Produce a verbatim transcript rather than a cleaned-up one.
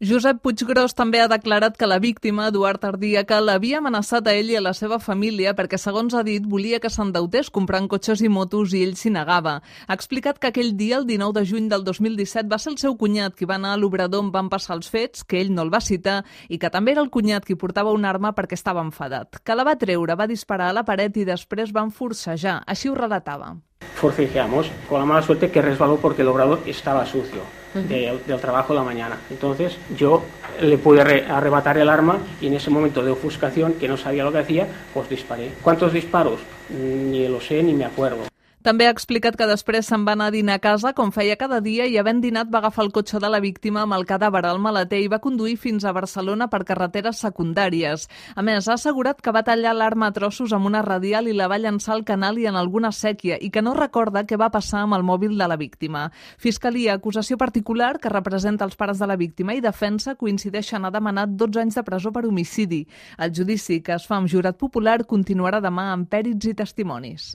Josep Puiggròs també ha declarat que la víctima, Eduard Ardiaca, l'havia amenaçat a ell i a la seva família perquè, segons ha dit, volia que s'endeutés comprant cotxes i motos i ell s'hi negava. Ha explicat que aquell dia, el dinou de juny del dos mil disset, va ser el seu cunyat qui va anar a l'obrador on van passar els fets, que ell no el va citar, i que també era el cunyat qui portava una arma perquè estava enfadat. Que la va treure, va disparar a la paret i després van forcejar. Així ho relatava. Forcejeamos, con la mala suerte que resbaló porque el obrador estaba sucio de, del trabajo de la mañana. Entonces yo le pude re, arrebatar el arma y en ese momento de ofuscación, que no sabía lo que hacía, pues disparé. ¿Cuántos disparos? Ni lo sé ni me acuerdo. També ha explicat que després se'n va anar a dinar a casa, com feia cada dia, i havent dinat va agafar el cotxe de la víctima amb el cadàver al maleter i va conduir fins a Barcelona per carreteres secundàries. A més, ha assegurat que va tallar l'arma a trossos amb una radial i la va llançar al canal i en alguna sèquia, i que no recorda què va passar amb el mòbil de la víctima. Fiscalia, acusació particular, que representa els pares de la víctima, i defensa coincideixen a demanar dotze anys de presó per homicidi. El judici, que es fa amb jurat popular, continuarà demà amb pèrits i testimonis.